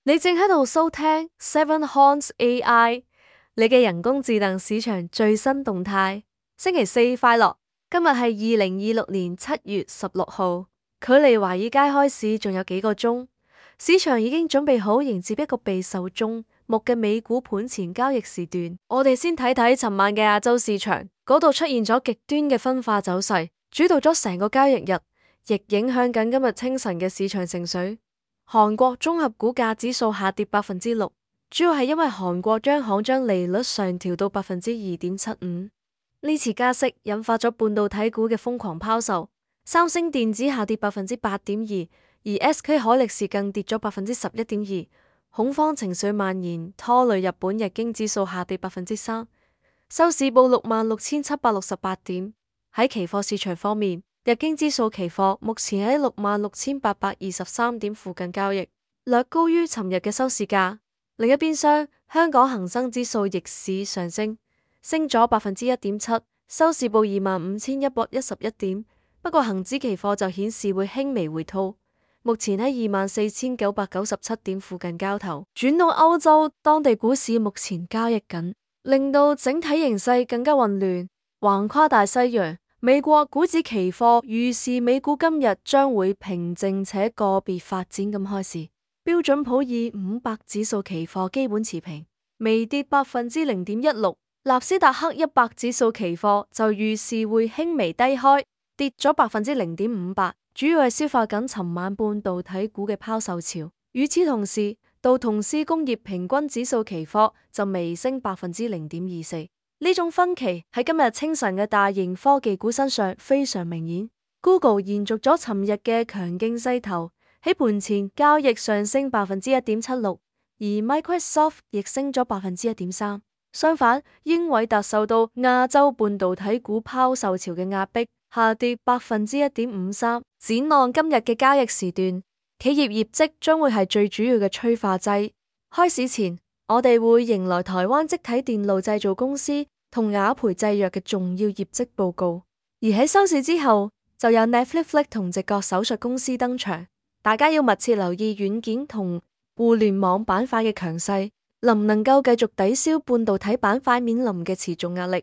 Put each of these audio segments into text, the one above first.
你正喺度收聽 Seven Horns AI，你嘅人工智能市場最新動態。星期四快樂！今日係2026年7月16號，距離華爾街開市仲有幾個鐘，市場已經準備好迎接一個備受矚目嘅美股盤前交易時段。我哋先睇睇尋晚嘅亞洲市場，嗰度出現咗極端嘅分化走勢，主導咗成個交易日，亦影響緊今日清晨嘅市場情緒。韓國綜合股價指數下跌6%，主要係因為韓國央行將利率上調到2.75%。呢次加息引發咗半導體股嘅瘋狂拋售，三星電子下跌8.2%，而 SK 海力士更跌咗11.2%。恐慌情緒蔓延，拖累日本日經指數下跌3%，收市報66,768點。喺期貨市場方面，日經指數期貨目前喺66,823點附近交易，略高於尋日嘅收市價。另一邊廂，香港恒生指數逆市上升，升咗1.7%，收市報25,111點。不過恒指期貨就顯示會輕微回吐，目前喺24,997點附近交投。轉到歐洲，當地股市目前交易緊，令到整體形勢更加混亂，橫跨大西洋。美國股指期貨預示美股今日將會平靜且個別發展咁開市。標準普爾500指數期貨基本持平，微跌0.16%。納斯達克100指數期貨就預示會輕微低開，跌咗0.58%，主要係消化緊尋晚半導體股嘅拋售潮。與此同時，道瓊斯工業平均指數期貨就微升0.24%。呢種分歧喺今日清晨嘅大型科技股身上非常明顯。Google 延續咗尋日嘅強勁勢頭，喺盤前交易上升1.76%，而 Microsoft 亦升咗1.3%。相反，英偉達受到亞洲半導體股拋售潮嘅壓迫，下跌1.53%。展望今日嘅交易時段，企業業績將會係最主要嘅催化劑。開市前，我哋會迎來台灣積體電路製造公司同雅培製藥嘅重要業績報告，而喺收市之後就有 Netflix 同直覺手術公司登場。大家要密切留意軟件同互聯網板塊嘅強勢，能唔能夠繼續抵消半導體板塊面臨嘅持續壓力。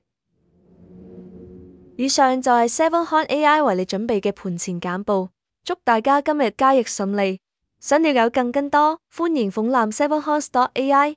以上就係 Seven Horns AI 為你準備嘅盤前簡報，祝大家今日交易順利。想了解更多，歡迎訪覽 7horns.ai。